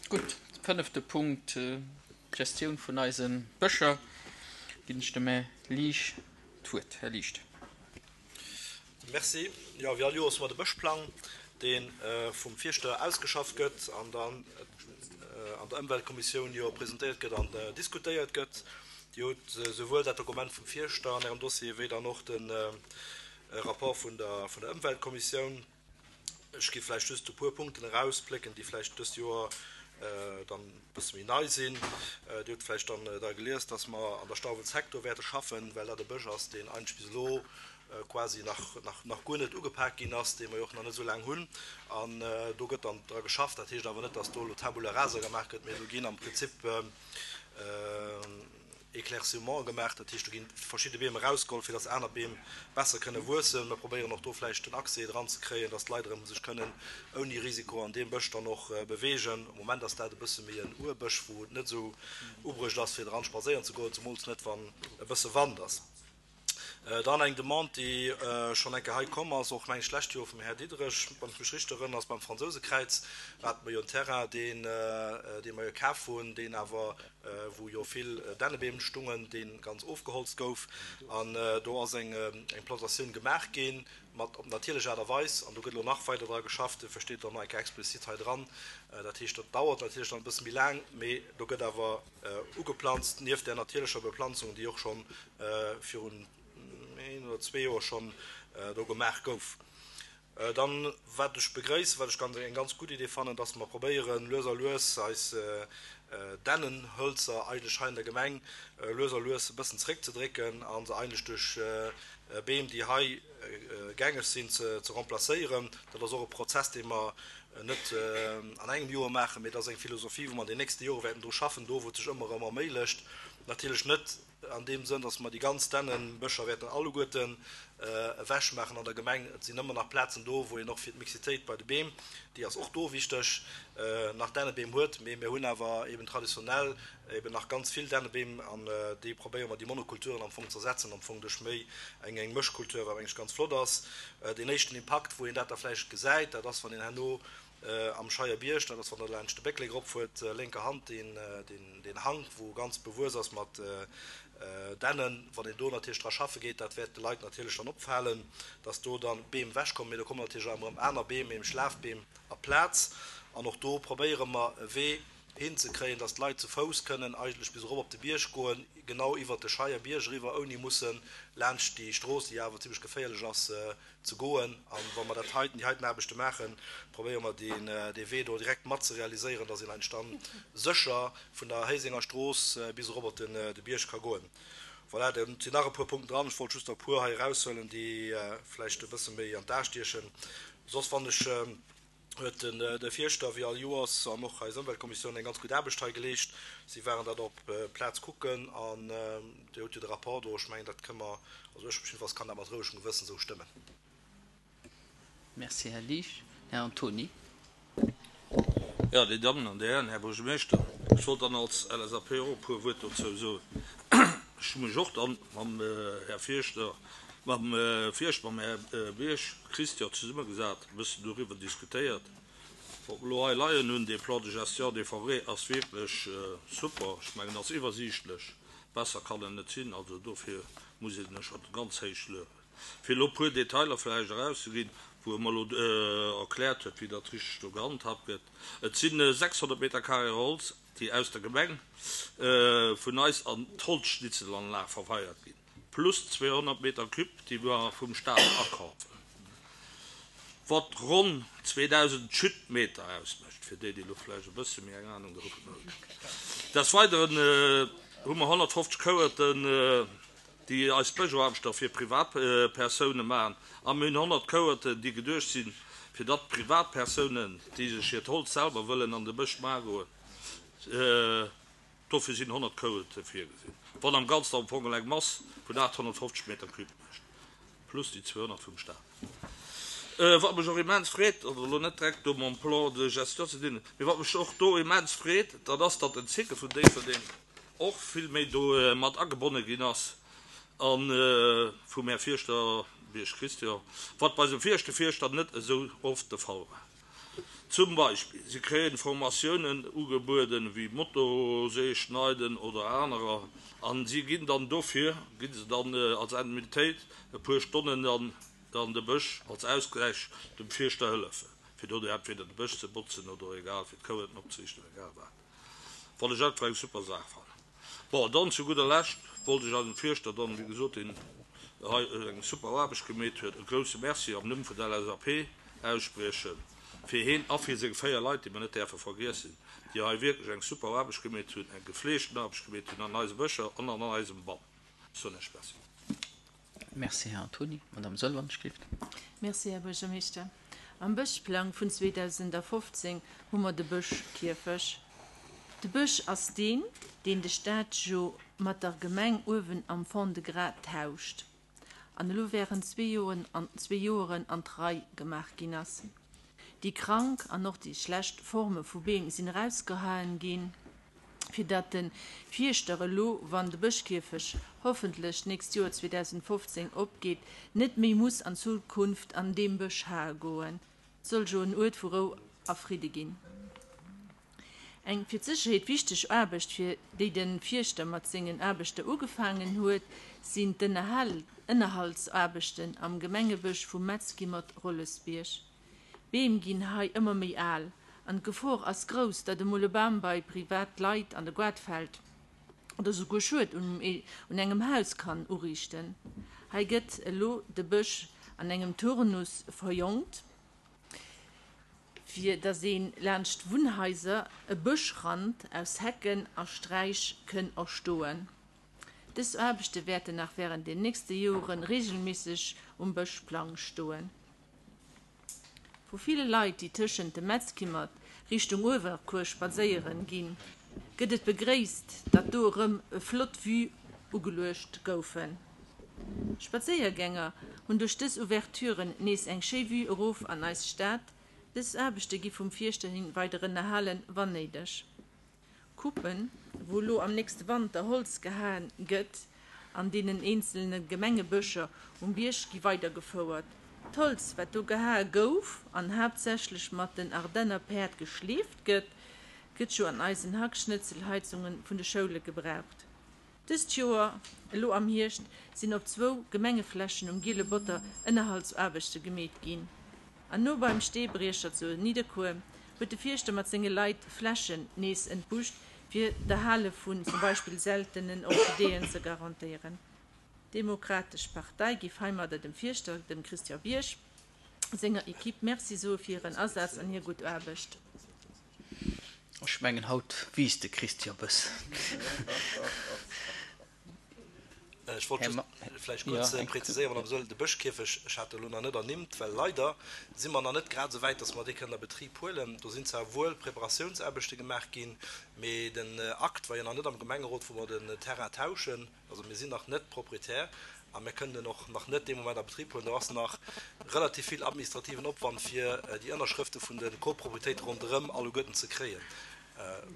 Gutt, fënnefte Punkt, d'Gestioun vun eise Bëscher. Ginn ech dem Här Liesch d'Wuert. Här Liesch. Merci. Jo, wéi all Joers hu mer de Bëschplang, dee vum Fierschter ausgeschafft gëtt an dann an der Ëmweltkommissioun jo presentéiert gëtt an diskutéiert gëtt. Dir hutt souwuel dat Dokument vum Fierschter an Ärem Dossier wéi dann och de Rapport vun der Ëmweltkommissioun. Ech gi vläicht just e puer Punkten erausplécken, déi vläicht dëst Joer dann e bësse méi nei sinn. Dir hutt vläicht dann da gelies, dass mer an der Stauwels Hector wäerte schaffen, well dat e Bësch ass, deen eigentlech bis elo quasi nach, nach guer net ugepak ginn ass, dee mer jo och nach net esou laang hunn. An do gëtt dann dra geschafft. Dat heescht awer net, dass do elo Tabula rasa gemaach gëtt, mee do ginn am Prinzip Éclaircissementen gemaach, dat heescht do gi verschidde Beem erausgeholl, fir dass aner Beem besser kënne wuessen. Mir probéieren och do vläicht den Accès dran ze kréien, dass d'Leit erëm sech kënnen ouni Risiko an deem Bësch dann och beweegen. Am Moment ass dat e bësse méi en Urbësch, wou et net esou ubruecht ass, fir dran spadséieren ze goen, zemools net wann e bësse Wand ass. Dann eng Demande, déi schonn eng Kéier hei komm ass, och meng ech d'lescht Joer vum Här Diderich, wann ech mech richteg erënneren, ass beim Fransousekräiz, hate mer jo en Terrain, deen, dee mer jo kaf hunn, deen awer, wou jo vill Dännebeem stungen, dee ganz ofgeholzt gouf. An do ass eng, eng Plantatioun gemaach gi mat, op natierlech Aart a Weis. An do gëtt elo nach weider dra geschafft, dofir steet et och nach eng Kéier explizit hei dran. Dat heescht, dat dauert natierlech dann e bësse méi laang, mee do gëtt awer ugeplanzt, nieft där natierlecher Beplanzung, déi och schonn virun een oder zwee Joer schonn do gemaach gouf. Dann, wat ech begréissen, wat ech ganz, eng ganz gutt Idee fannen, dass mer probéieren, lues a lues eis Dännenhölzer eigentlech hei an der Gemeng lues a lues e bëssen zréckzedrécken a se eigentlech duerch Beem, déi hei gängeg sinn, ze remplacéieren. Dat ass och e Prozess, dee mer net an engem Joer maachen, mee dat ass eng Philosophie, wou mer an den nächste Jore wäerten dru schaffen, do wou et sech ëmmer erëm erméiglecht. Natierlech net an deem Sënn, dass mer déi ganz Dännebëscher wäerten alleguerten ewechmaachen an der Gemeng. Et sinn ëmmer nach Plazen do, wou een och fir d'Mixitéit bei de Beem, déi ass och do wichteg, nach Dännebeem huet. Mee mir hunn awer eben traditionell eben nach ganz vill Dännebeem an déi probéiere mer, déi Monokulturen am Fong ze ersetzen, am Fong duerch méi eng eng Mëschkultur, wat mengen ech ganz flott ass. Deen éischten Impakt, wou een dat da vläicht gesäit, dat ass, wann een herno Am Scheierbierg, dat ass wann der laanscht de Bécklek eropfuert, lénker Hand deen Hank wou ganz bewuess ass mat Dännen. Wann een do natierlech dra schaffe geet, dat wäert de Leit natierlech dann opfalen, dass do dann Beem ewechkommen, mee do kommen natierlech och erëm aner Beem, eben Schlafbeem aplaz. An och do probéiere mer e Wee hinzekréien, dass d'Leit zu Fouss kënnen eigentlech bis erop op de Bierg goen, genau iwwert de Scheierbierg eriwwer, ouni musse laanscht déi Strooss, déi awer zimmlech geféierlech ass, ze goen. A wa mer dat heiten, déi heiten Aarbechte maachen, probéiere mer deen, dee Wee do direkt mat ze realiséieren, dass een eigentlech dann sécher vun der Héisenger Strooss bis erop op den, de Bierg ka goen. Voilà, do sinn nach e puer Punkten dran. Ech wollt just der e puer hei eraushuelen, déi vläicht e bësse méi an d'A stiechen. Soss fannen ech, huet den de Fierschter wéi all Joers an och eis Ëmweltkommissioun eng ganz gutt Aarbecht hei geleescht. Si waren dat op d'Plaz kucken an Dir hutt jo de Rapport do. Ech mengen, dat kënne mer, also ech jiddefalls kann dat mat rouegem Gewëssen esou stëmmen. Merci, Här Liesch. Här Antony. Jo, Dir Dammen an Dir Hären, Här Buergermeeschter, ech wollt dann als LSAP och e puer Wuert dozou soen. Ech hu mech och dann mam Här Fierschter, mam Fierschter, mam Här Bierg Christian zesummegesat, e bëssen doriwwer diskutéiert. Wat mer elo hei leien hunn, dee Plan de gestion des forêts ass wierklech super. Ech mengen, ass iwwersiichtlech, besser kann en net sinn. Also dofir muss een e scho ganz héich luewen. Fir elo e puer Detailer vläicht erauszeginn, wou e mer elo erkläert huet, wéi dat richteg do gehandhabt gëtt. Et si 600 Meter carré Holz, déi aus der Gemeng vun eis an d'Holzschnitzelanlag verfeiert ginn, plus 200 Meter cube, déi mer vum Staat akafen, wat ronn 2.000 Schüttmeter ausmécht, fir déi, déi elo vläicht e bësse méi eng Anung dovun hunn. Des Weideren hu mer 150 Kouerten, déi eis Bëschaarbechter fir Privatpersoune maachen, a mir hunn 100 Kouerten, déi geduecht sinn, fir datt Privatpersounen, déi sech hiert Holz selwer wëllen an de Bësch maache goen, dofir sinn 100 Kouerte virgesinn, wat am Ganzen am Fong eng Mass vun 850 Meter cube mécht, plus déi 200 vum Staat. Wat mech och immens freet, dat elo net direkt do mam Plan de gestion ze dinn huet, mee wat mech och do immens freet, dat ass, datt den Cycle vun Déifferdeng och vill méi do mat agebonne ginn ass a vum Här Fierschter, Bierg Christian, wat bei eisem viregte Fierschter net esou oft de Fall war. Zum Beispill, si kréien Formatiounen ugebueden, wéi Motorsee schneiden oder anerer, an si ginn dann dofir, gi se dann als Indemnitéit e puer Stonnen dann an de Bësch als Ausgläich dem Fierschter hëllefen, fir do entweder de Bësch ze botzen oder egal, fir d'Kouerten opzeriichten, egal wat. Wat ech einfach eng super Saach fannen. Bon, an dann zu gudder Lescht wollt ech eisem Fierschter dann, wéi gesot, deen hei eng super Aarbecht gemeet huet, e grouse Merci am Numm vun der LSAP ausspriechen, fir heen a fir seng 4 Leit, déi mer net däerfe vergiessen, déi hei wierklech eng super Aarbecht gemeet hunn, eng gefleegten Aarbecht gemeet hunn an eise Bëscher an an eisem Bann. Ech soen Iech Merci. Merci, Här Antony. Madame Sëlwernschift. Merci, Här Buergermeeschter. Am Bëschplang vun 2015 hu mer de Bëschkierfech. De Bësch ass deen, deen de Staat jo mat der Gemeng uewen am Fond-de-Gras tauscht an elo während zwee Joeren an d'Rei gemaach ginn ass. Déi krank an och déi schlecht Forme vu Beem sinn erausgehaen ginn. fir datt de Fierschter elo, wann de Bëschkierfech hoffentlech d'nächst Joer 2015 opgeet, net méi muss an Zukunft an deem Bësch hae goen. Et soll jo en Uert vu Rou a Fridde ginn. Eng fir d'Sécherheet wichteg Aarbecht, fir déi de Fierschter mat sengen Aarbechter ugefaangen huet, sinn d'Ënnerhaltsaarbechten am Gemengebësch vu Metzkimmert-Rollesbierg. D'Beem ginn hei ëmmer méi al an d'Gefor ass grouss, datt emol e Bam bei privat Leit an de Goart fält oder souguer Schued un engem Haus kann uriichten. Hei gëtt elo de Bësch an engem Turnus verjongt, fir datt ee laanscht Wunnhaiser e Bëschrand aus Hecken a Straich kënn erstoen. Dës Aarbechte wäerten nach wärend den nächste Jore reegelméisseg um Bëschplang stoen. Vu ville Leit, déi tëschent dem Metzkimmert Richtung Uewerkuer spadséieren ginn, gëtt et begréisst, datt do erëm flott Vue ugeluecht goufen. Spadséiergänger hunn duerch dës Ouverturen nees eng schéi Vue erof an eis Stad. Dës Aarbechte gi vum Fierschter hin weider ënnerhalen, wann néideg. Coupen, wou elo am nächste Wanter Holz gehaen gëtt an deenen eenzelne Gemengebëscher um Bierg, gi weidergefouert. D'Holz, wat do gehae gouf an haaptsächlech mat den Ardenner Päerd geschleeft gëtt, gëtt jo an eisen Hackschnëtzelheizunge vun de Schoule gebraucht. Dëst Joer, elo am Hierscht, sinn op zwou Gemengeflächen um Giele Botter Ënnerhaltsaarbechte gemeet ginn. An no beim Steebriecher zu Nidderkuer huet de Fierschter mat senge Leit Flächen nees entbuscht, fir d'Erhale vun zum Beispill seltenen Orchideeën ze garantéieren. D'Demokratesch Partei giff heimadder dem Fierschter, dem Christian Bierg, senger Equipe Merci soe fir hiren Asaz an hir gutt Aarbecht. Ech mengen haut wiisst de Christian bëssen. Ech wollt just vläicht kuerz präziséieren, Madame Saeul, de Bëschkierfech, ech hat e lo nach net ernimmt, well leider si mer nach net grad esou wäit, datt mer dee kënnen a Betrib huelen. Do sinn zwar wuel Preparatiounsaarbechte gemaach ginn, mee den Akt war jo nach net am Gemengerot, wou mer den Terrain tauschen. Also mir sinn nach net Proprietär a mir kënnen en och nach net dee Moment a Betrib huelen. Do ass nach relativ vill administrativen Opwand, fir déi Ënnerschrëfte vun de Coproprietéite ronderëm alleguerten ze kréien.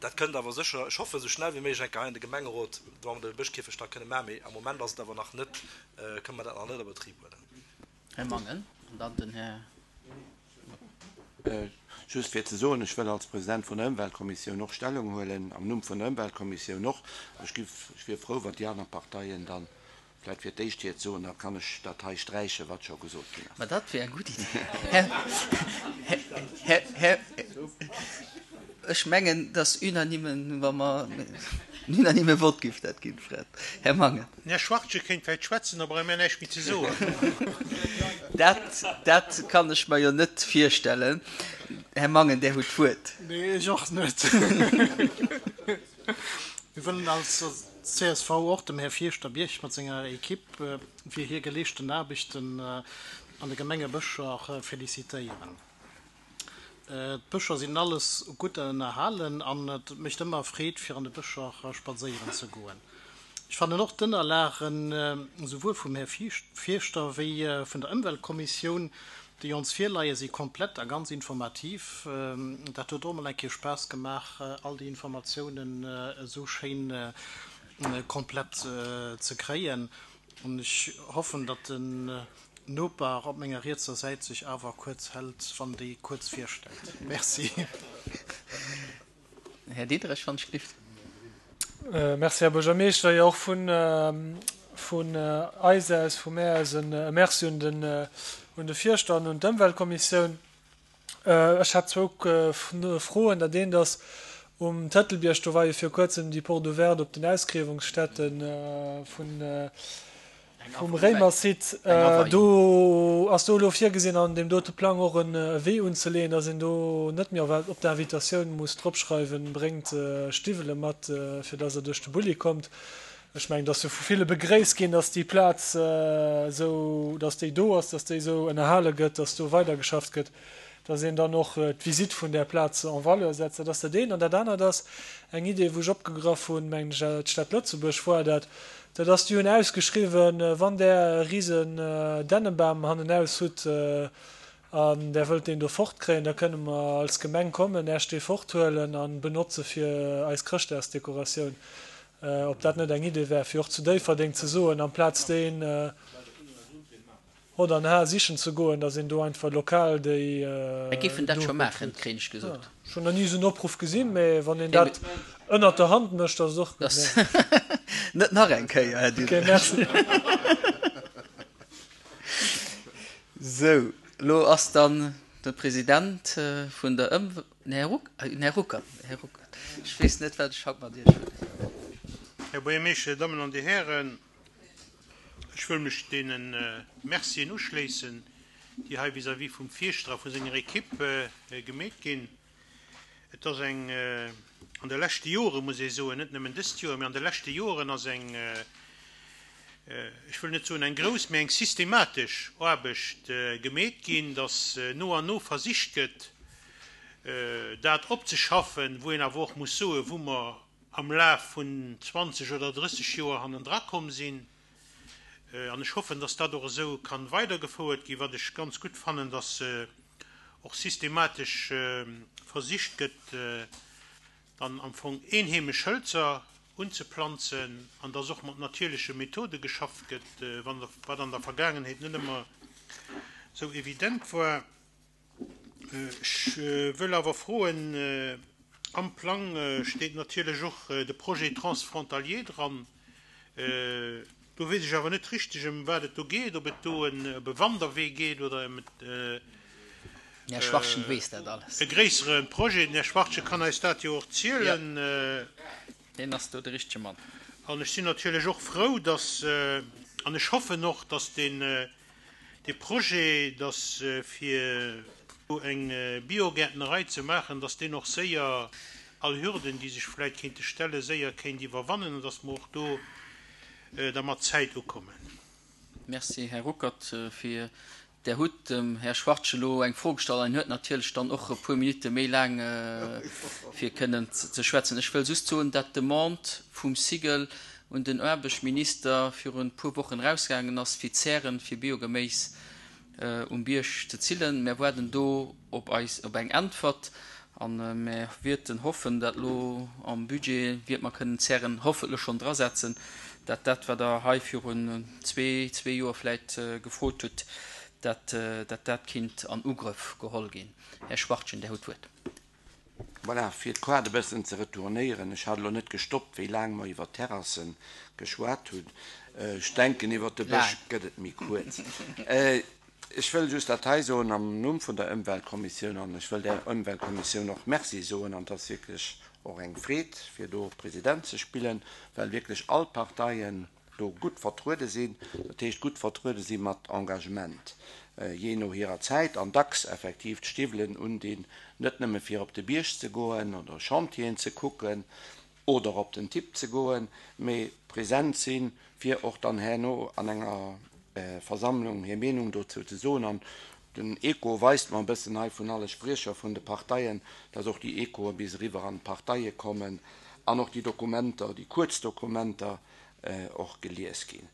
Dat kënnt awer sécher, ech hoffen, esou schnell wéi méiglech eng Kéier hei an de Gemengerot, wa mer de Bëschkierfecht da kënne maachen. Mee am Moment ass et awer nach net, kënne mer dat nach net a Betrib huelen. Här Mangen an dann den Här. Just fir ze soen, ech wëll als President vun der Ëmweltkommissioun och Stellung huelen, am Numm vun der Ëmweltkommissioun och. Ech giff, ech wier frou, wann déi aner Parteien dann vläicht fir d'éischt hiert soen, da kann ech dat hei sträichen, wat scho gesot ginn ass. Ma dat wier eng gutt Iddi. Här, Här, Här, ech mengen, dass unanime, wa mer, en unanime Vott giff dat ginn, Fred. Här Mangen. Den Här Schwachtgen kéint vläicht schwätzen, aber hei mir näischt méi ze soen. Dat, dat kann ech mer jo net virstellen. Här Mangen, Där hutt d'Wuert. Nee, ech och net. Mir wëllen als csv och dem Här Fierschter Bierg mat senger Equipe fir hir geleeschten Aarbechten an de Gemengebëscher felicitéieren. D'Bëscher sinn alles gutt ënnerhalen an et mécht ëmmer Freed fir an de Bëscher spadséieren ze goen. Ech fannen och d'Ënnerlagen esouwuel vum Här Fierschter wéi vun der Ëmweltkommissioun, déi ons virleien, si komplett a ganz informativ. Dat huet och emol eng Kéier Spaass gemaach, all déi Informatiounen esou schéin komplett ze kréien. An ech hoffen, datt de. Noper op menger rietser Säit sech awer kuerz hält, wann déi kuerz virstellt. Merci. Här Diderich, wann ech gelift. Merci, Här Buergermeeschter. Jo, och vun, vun eis aus, vu mär aus e Merci un den, un de Fierschter an un d'Ëmweltkommissioun. Ech hätt zwou Froen. Dat eent ass, um Tëtelbierg, do war jo viru kuerzem déi Porte ouverte op den Ausgriewungsstätte vun, vum Réimersite. Do ass do elo virgesinn, an deem dote Plang och e Wee unzeleeën, dass een do net méi op der Invitatioun muss dropschreiwen, bréngt Stiwwele mat, fir dass Der duerch de Bulli kommt. Ech mengen, et ass jo vu ville begréisst ginn, dass déi Plaz esou, dass déi do ass, dass déi esou ënnerhale gëtt, dass do weidergeschafft gëtt, dass een dann och d'Visitt vun där Plaz en valeur setzt. Dat ass dat eent. An dat anert ass eng Idee, wou ech opgegraff hunn, mengen ech, d'Stad Lëtzebuerg war dat, dat ass, déi hunn ausgeschriwwen, wann Der e risen Dännebam hannenaus hutt an Der wëllt deen do fortkréien, da kënne mer als Gemeng kommen, Äech dee forthuelen a benotze fir eis Chrëschtdagsdekoratioun. Ob dat net eng Idee wär, fir och zu Déifferdeng ze soen, amplaz deen hott an har sichen ze goen, datt een do einfach lokal déi Mir géifen dat scho maachen, kréien ech gesot. Ech hunn nach ni esou en Opruff gesinn, mä wann een dat ënnert der Hand mécht, ass et och gutt. Net nach eng Kéier, Här Diderich. Ok, merci. Sou, elo ass dann de President vun der Ëmw. Den Här Ruck, den Här Ruckert, Här Ruckert, ech weess net, wat ech haut mat Iech hunn. Här Buergermeeschter, Dir Dammen an Dir Hären, ech wëll mech deene Mercien uschléissen, déi hei vis-à-vis vum Fierschter a vu senger Equipe gemeet ginn. Et ass eng, an de leschte Jore muss ee soen, net nëmmen dëst Joer, mee an de leschte Joren ass eng, ech wëll net soen eng grouss, mee eng systematesch Aarbecht gemeet ginn, dass no an no versicht gëtt, dat opzeschaffen, wou een awer och muss soen, wou mer am Laf vun 20 oder 30 Joer hannendra komm sinn. An ech hoffen, dass dat och esou kann weidergefouert ginn. Wat ech ganz gutt fannen, dass och systematesch versicht gëtt, dann am Fong eenheemesch Hëlzer unzeplanzen an dass och mat natierleche Methode geschafft gëtt, wat an der Vergaangenheet net ëmmer esou evident war. Ech wëll awer froen, am Plang steet natierlech och de Projet transfrontalier dran. Do weess ech awer net richteg, ëm wat et do geet, ob et do ëm e Wanderwee geet oder ëm e gréissere Projet. Den Här Schwachtgen kann eis dat jo och zielen. Deen ass do de richtege Mann. An ech sinn natierlech och frou, dass, an ech hoffen och, dass deen Dee Projet, dass fir do eng Biogäertnerei ze maachen, dass deen och séier all Hürden, déi sech vläicht kéinte stellen, séier kéint iwwerwannen an dass mer och do da mat Zäit ukommen. Merci, Här Ruckert, fir Der hutt dem Här Schwartsch elo eng Fro gestallt an en huet natierlech dann och e puer Minutte méi laang fir kënnen ze schwätzen. Ech wëll just soen, dat d'Demande vum SIGEL un den Aarbechtsminister virun e puer Wochen erausgaangen ass, fir Zären fir Biogeméis um Bierg ze zillen. Mär waarden do op eis, op eng Äntwert a mär wierten hoffen, dat elo am Budget wiert mer kënnen d'Zären hoffentlech schonn drasetzen, dat dat, wat Der hei virun zwee, zwee Joer vläicht gefrot hutt, dat dat dat kinnt an Ugrëff geholl ginn. Här Schwachtgen, Der hutt d'Wuert. Voilà, fir d'Quart e bëssen ze retournéieren, ech hat elo net gestoppt, wéi laang mer iwwer d'Terrasse geschwat hunn. Ech denken, iwwer de Bësch gëtt et méi kuerz. Ech wëll just dat hei soen am Numm vun der Ëmweltkommissioun, an ech wëll där Ëmweltkommissioun och Merci soen, an et ass wierklech och eng Freed, fir do President ze spillen, well wierklech all Parteien, do gutt vertruede sinn, dat heescht gutt vertruede si mat Engagement, jee no hirer Zäit, an dacks effektiv d'Stiwwelen undinn, net nëmme fir op de Bierg ze goen oder Chantieren ze kucken oder op den Tipp ze goen, mee present sinn, fir och dann herno an enger Versammlung hir Meenung dozou ze soen. An den Echo weist mer e bëssen hei vun alle Spriecher vun de Parteien, dass och déi Echoe bis eriwwer an d'Parteie kommen an och déi Dokumenter, déi kuerz Dokumenter, och gelies ginn.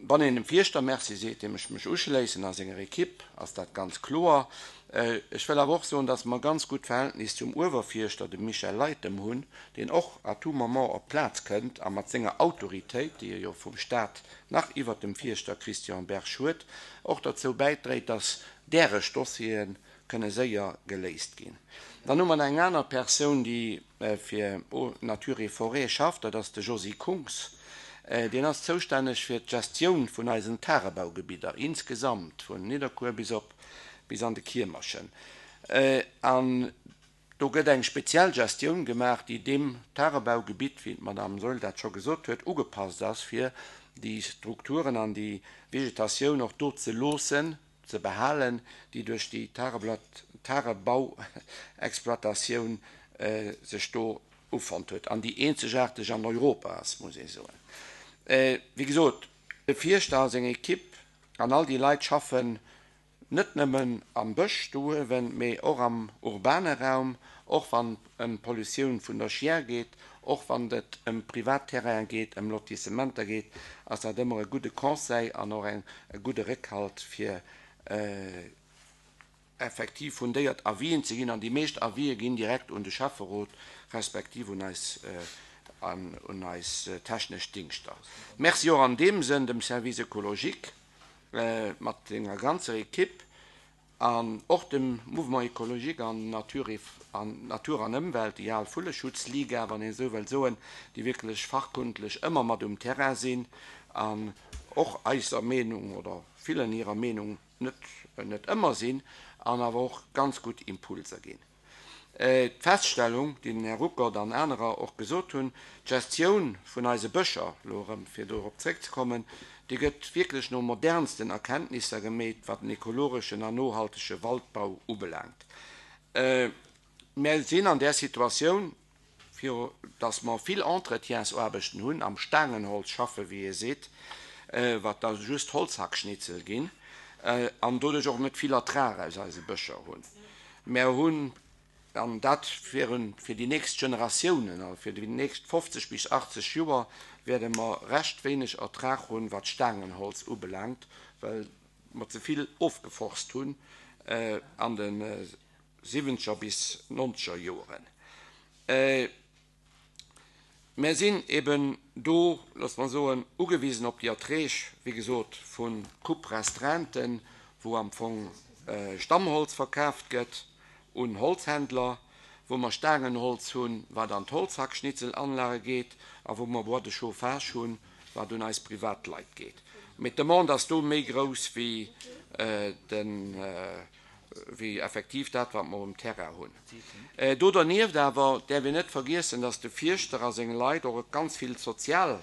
Wann een dem Fierschter Merci seet, deem ech mech uschléissen, a senger Equipe, ass dat ganz kloer. Ech wëll awer och soen, dass mer e ganz gutt Verhältnis zum Uewerfierschter, dem Michel Leytem, hunn, deen och à tout moment op d'Plaz kënnt a mat senger Autoritéit, déi e jo vum Stat nach iwwert dem Fierschter Christian Berg huet, och derzou bäidréit, dass däreg Dossiere kënne séier geléist ginn. Dann hu mer nach eng aner Persoun, déi fir Nature et Forêt schafft, dat ass de Josy Kungs. Deen ass zoustänneg fir d'Gestioun vun eisen Tagebaugebidder insgesamt, vun Nidderkuer bis op bis an de Kiermerchen. An do gëtt eng speziell Gestioun gemaach, déi deem Tagebaugebitt, wéi d'Madame Saeul dat scho gesot huet, ugepasst ass, fir déi Strukturen an déi Vegetatioun och do ze loossen, ze behalen, déi duerch déi Tagebauexploitatioun sech do ufonnt huet an déi eenzegaarteg an Europa ass, muss ee soen. Wéi gesot, de Fierschter a seng Ekipp an all déi Leit schaffen net nëmmen am Bësch do uewen, mee och am urbane Raum, och wann ëm d'Pollutioun vun der Chiers geet, och wann et ëm privat Terrainen geet, ëm Lotissementer geet, ass dat ëmmer e gudde Conseil an och e gudde Réckhalt fir effektiv fundéiert Avisen ze ginn. An déi meescht Avisë ginn direkt un de Schäfferot respektiv un eis un eis technesch Dingschter. Merci och an deem Sënn dem Service écologique mat senger ganzer Equipe. An och dem Mouvement écologique an Natur Natur an Ëmwelt, déi al Vulleschutzliga, wann een esou wëll soen, déi wierklech fachkundlech ëmmer mat um Terrain sinn an och eiser Meenung oder villen hirer Meenung net net ëmmer sinn an awer och ganz gutt Impulser ginn. D'Feststellung, déi den Här Ruckert an anerer och gesot hunn, d'Gestioun vun eise Bëscher, elo erëm fir dorop zréckzekommen, déi gëtt wierklech no modernsten Erkenntnisser gemeet, wat den ekologeschen an nohaltege Waldbau ubelaangt. Mir sinn an där Situatioun, Viru dass mer vill Entretiensaarbechten hunn, am Staangenholz schaffen, wéi ee seet, wat da just Holzhackschnitzel ginn an doduerch och net vill Ertrag aus eise Bëscher hunn. Mer hunn, an dat fir fir déi nächst Generatiounen, also fir déi nächst 50 bis 80 Joer, wäerde mer recht wéineg Ertrag hunn, wat Staangenholz ubelaangt, well mer ze vill ofgeforst hunn an de siwwenzeger bis nonzeger Joeren. Mär sinn eben do, loosse mer soen, ugewisen op déi Erträg, wéi gesot, vu Coupe restreinte, wou am Fong Stammholz verkaaft gëtt un Holzhändler, wou mer Staangenholz hunn, wat an d'Holzhackschnitzelanlage geet, a wou mer Bois de chauffage hunn, wat un eis Privatleit geet. Mee d'Demande ass do méi grouss wéi den. wéi effektiv dat, wat mer um Terrain hunn. Do dernieft awer däerf een net vergiessen, dass de Fierschter a seng Leit och ganz vill d'sozial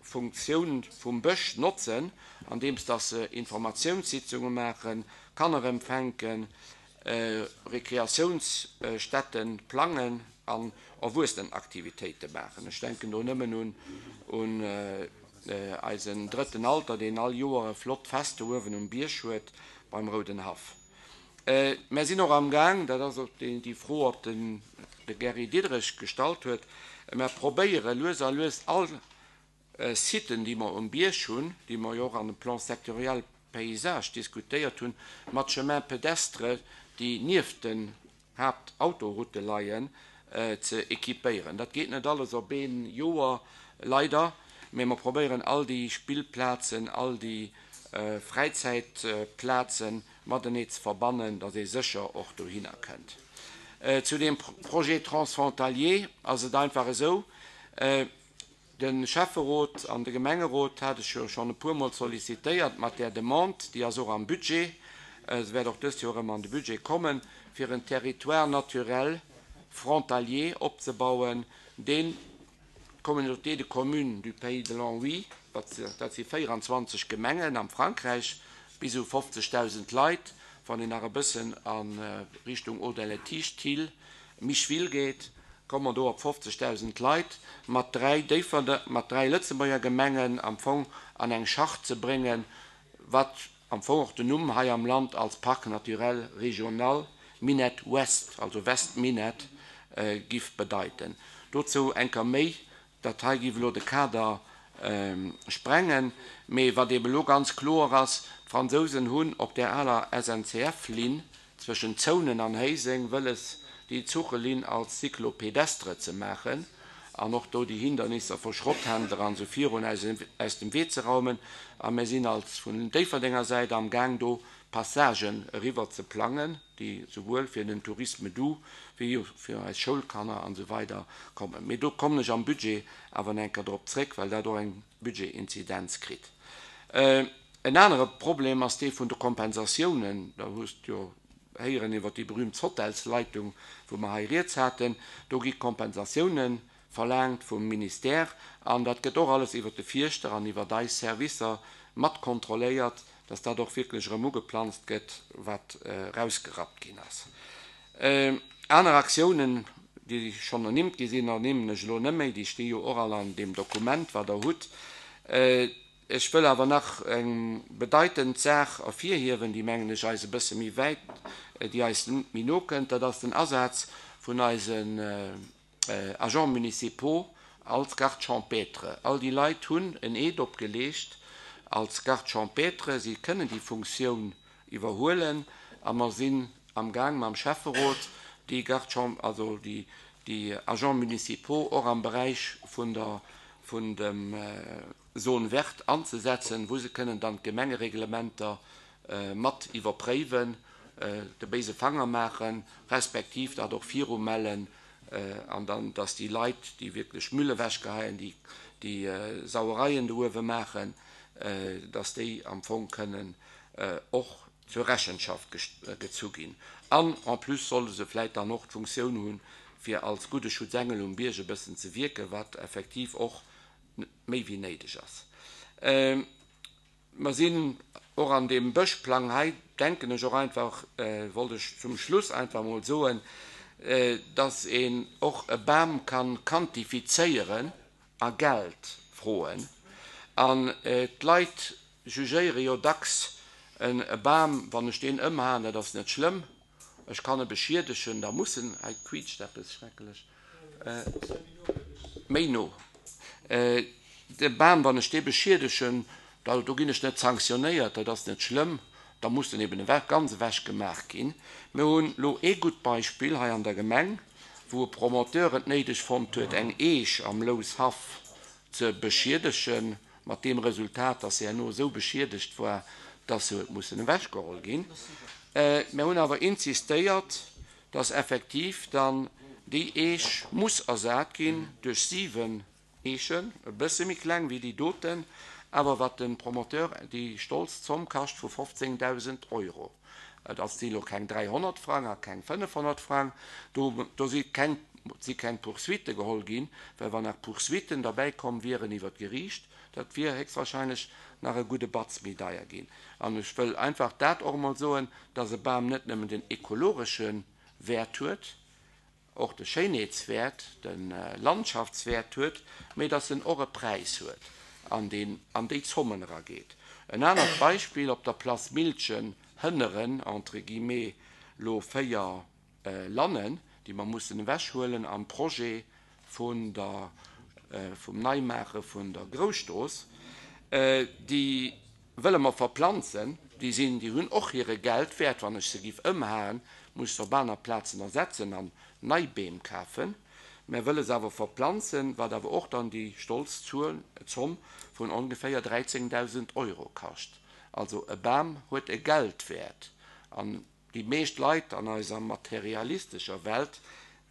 Funktioun vum Bësch notzen, andeems dass se Informatiounssitzunge maachen, Kanner empfänken, Rekreatiounsstätte plangen an Erwuessenenaktivitéite maachen. Ech denken do nëmmen un eisen Drëtten Alter, deen all Joer e flott Fest do uewen um Bierg huet beim Rouden Haff. Mär sinn och am Gaang, dat ass och déi Fro, op den de Gary Diderich gestallt huet, mär probéiere lues a lues all Siten, déi mer um Bierg hunn, déi mer jo och an dem Plan sectoriel paysage diskutéiert hunn, mat Chemins pédestres, déi nieft den Haaptautoroute leien, ze équipéieren. Dat geet net alles op een Joer, leider, mee mer probéieren all déi Spillplazen, all déi Fräizäitplazen matenee ze verbannen, datt ee sécher och dohinner kënnt. Zu deem Projet transfrontalier ass et einfach esou, De Schäfferot an de Gemengerot hat ech jo schonn e puermol sollicitéiert mat där Demande, déi ass och am Budget, se wäert och dëst Joer erëm an de Budget kommen, fir en Territoire naturel frontalier opzebauen, deen d'Communauté de communes du Pays de Longwy, dat si 24 Gemengen am Frankräich, bis u 50.000 Leit, wann een nach e bëssen a Richtung Audun-le-Tiche, Thil, Micheville geet, komme mer do op 50.000 Leit, mat dräi Déifferder, mat dräi Lëtzebuerger Gemengen am Fong an eng Charte ze bréngen, wat am Fong och den Numm hei am Land als Parc naturel régional Minett Ouest, also Westminett, giff bedeiten. Dozou enker méi, dat hei giff elo de Kader. sprengen. Mee wat eeben elo ganz kloer ass, D'Fransousen hunn op där aler SNCF-Linn zwëschen Zounen an Héiseng wëlles, déi Zuchelinn als Cyclo-pédestre ze maachen an och do déi Hindernisser vu Schrotthändler an esou virun aus dem Wee ze raumen. A mir sinn als vun Déifferdenger Säit am Gaang do Passagen eriwwer ze plangen, déi souwuel fir den Tourisme doux wéi och fir eis Schoulkanner an esou weider kommen. Mee do kommen ech am Budget awer nach eng Kéier drop zréck, well dat och eng Budgetinzidenz kritt. En anere Problem ass dee vun de Kompensatiounen. Der hutt jo héieren iwwer déi berühmt Hotelsleitung, wou mer hei rieds haten. Do gi Kompensatiounen verlaangt vum Ministère an dat gëtt och alles iwwer de Fierschter an iwwer eis Servicer mat kontrolléiert, dass dat och wierklech erëm ugeplanzt gëtt, wat erausgerappt ginn ass. Aner Aktiounen, déi schonn ernimmt gi sinn, ernimmen ech elo net méi, déi sti jo och all an deem Dokument, wat Der hutt. Ech wëll awer nach eng bedeitend Saach ervirhiewen, déi, mengen ech, eis e bësse méi wäit, déi eis méi no kënnt, dat ass den Asaz vun eisen Agents municipaux als Gardes champêtres. All déi Leit hunn en Eed opgeleegt als Garde champêtre. Si kënnen déi Funktioun iwwerhuelen a mer sinn amgaang mam Schäfferot déi Gardes champ-, also déi Agents municipaux och am Beräich vun der, vun dem Zone verte anzesetzen, wou se kënnen dann d'Gemengereglementer mat iwwerpréiwen, de béise Fanger maachen, respektiv dat och virumellen an dann, dass déi Leit, déi wierklech Müll ewechgeheien, déi déi Sauereien do uewe maachen, dass déi am Fong kënnen och zur Rechenschaft gezu ginn. An en plus solle se vläit dann och d'Funktioun hunn, fir als gudde Schutzengel um Bierg e bëssen ze wierken, wat effektiv och méi wéi néideg ass. Mer sinn och an deem Bëschplang hei, denken ech och einfach, wollt ech zum Schluss einfach emol soen, dass een och e Bam ka quantifizéieren a Geld froen. An d'Leit jugéiere jo dacks e Bam, wann ech deen ëmhaen, dat ass net schlëmm, Ech kann e beschiedegen, da muss en, hei quiitscht eppes schrecklech, méi no, de Bam, wann ech dee beschiedegen, da do ginn ech net sanktionéiert, dat ass net schlëmm, da muss en eben ewech, ganz ewech gemaach ginn. Mir hunn elo ee gutt Beispill hei an der Gemeng, wou e Promoteur et néideg fonnt huet, eng Eech am Loushaff ze beschiedegen, mat deem Resultat, dass se herno esou beschiedegt war, dass se huet mussen ewechgeholl ginn. Mir hunn awer insistéiert, dass effektiv dann déi Eech muss ersat ginn duerch 7 Eechen, e bësse méi kleng wéi déi doten, awer wat de Promoteur déi stolz Zomm kascht vu 15.000 Euro. Et ass si elo keng 300 Frang a keng 500 Frang, do do si keng si keng Poursuitte geholl ginn, well wann nach Poursuitten derbäi komm wieren iwwer d'Geriicht, dat wier héchstwahrscheinlech nach e gudde Batz méi deier ginn. An ech wëll einfach dat och emol soen, dass e Bam net nëmmen den ekologesche Wäert huet, och de Schéinheetswäert, de Landschaftswäert huet, mee dass en och e Präis huet an deen an déi Zommen erageet. En anert Beispill, Op der Place Miltgen hënneren, entre guillemets, lo 4 Lannen, déi mer mussen ewechhuelen am Projet vun der, vum Neimaache vun der Grousstrooss, déi wëlle mer verplanzen, déi sinn, déi hunn och hire Geldwäert, wann ech se giff ëmhaen, muss ech se op aner Plazen ersetzen an nei Beem kafen. Mär wëlle se awer verplanzen, wat awer och dann déi stolz Zuel, Zomm vun ongeféier 13.000 Euro kascht. Also e Bam huet e Geldwäert an déi meescht Leit an eiser materialistescher Welt,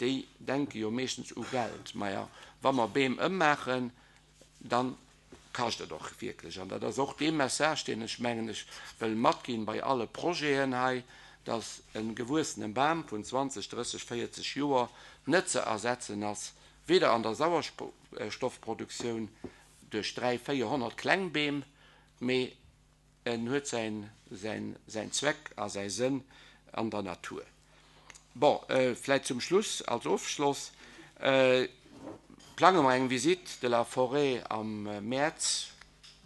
déi denke jo meeschtens u Geld. Maja, wa mer Beem ëmmaachen, dann kascht et och wierklech. An dat ass och dee Message, deen ech mengen ech wëll matginn bei alle Projeten hei, dass e gewuessene Bam vun 20, 30, 40 Joer net ze ersetzen ass, weder an der Sauerstoffproduktioun duerch 300, 400 kleng Beem, mee En huet säin, säin, säin Zweck a säi Sënn an der Natur. Bon, vläit zum Schluss, als Ofschloss, plange mer eng Visite de la forêt am Mäerz,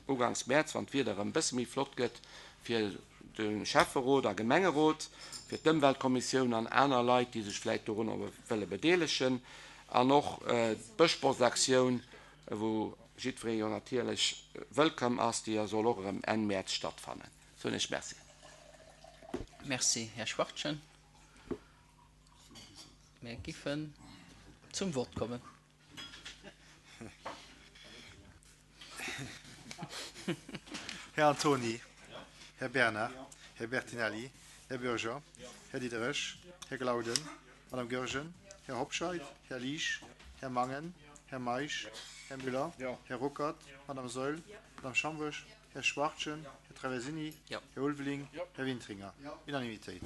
ugangs Mäerz, wann d'Wieder erëm e bësse méi flott gëtt, fir de Schäfferot a Gemengerot, fir d'Ëmweltkommissioun an aner Leit, déi sech vläit dorunner wëlle bedeelegen, an och d'Bëschbotzaktioun, wou. jiddweree jo natierlech wëllkomm ass, déi soll och erëm Enn Mäerz stattfannen. Soen ech Merci. Merci, Här Schwachtgen. Mir giffen zum Wort kommen. Här Antony, Här Bernard, Här Bertinelli, Här Bürger, Här Diderich, Här Glauden, Madame Goergen, Här Hobscheit, Här Liesch, Här Mangen, Här Meisch, Här Müller, Här Ruckert, Madame Saeul, Madame Schambourg, Här Schwachtgen, Här Traversini, Här Ulveling, Här Wintringer. Unanimitéit.